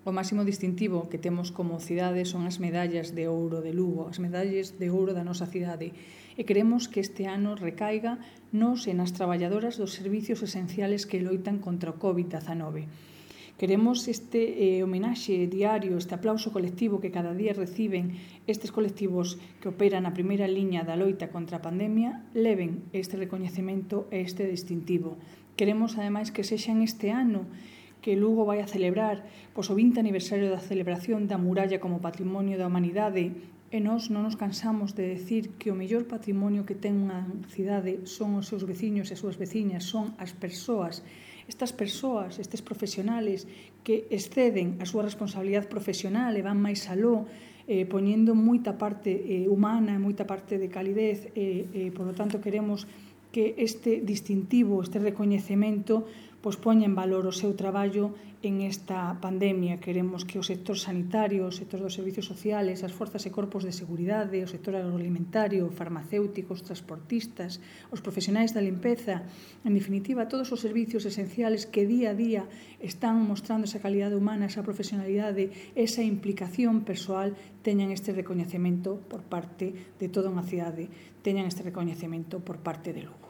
O máximo distintivo que temos como cidade son as medallas de ouro de Lugo, as medallas de ouro da nosa cidade. E queremos que este ano recaiga nos e nas traballadoras dos servicios esenciales que loitan contra o COVID-19. Queremos este homenaxe diario, este aplauso colectivo que cada día reciben estes colectivos que operan na primeira liña da loita contra a pandemia, leven este recoñecemento e este distintivo. Queremos, ademais, que sexan este ano que Lugo vai a celebrar o 20 aniversario da celebración da muralla como patrimonio da humanidade, e nós non nos cansamos de decir que o mellor patrimonio que ten unha cidade son os seus veciños e as súas veciñas, son as persoas. Estas persoas, estes profesionales que exceden a súa responsabilidade profesional e van máis aló, poñendo moita parte humana e moita parte de calidez, e, por lo tanto, queremos que este distintivo, este recoñecemento, poña en valor o seu traballo en esta pandemia. Queremos que o sector sanitario, o sector dos servicios sociales, as forzas e corpos de seguridade, o sector agroalimentario, farmacéuticos, transportistas, os profesionais da limpeza, en definitiva, todos os servicios esenciales que día a día están mostrando esa calidade humana, esa profesionalidade, esa implicación persoal, teñan este recoñecemento por parte de toda unha cidade, teñan este recoñecemento por parte de Lugo.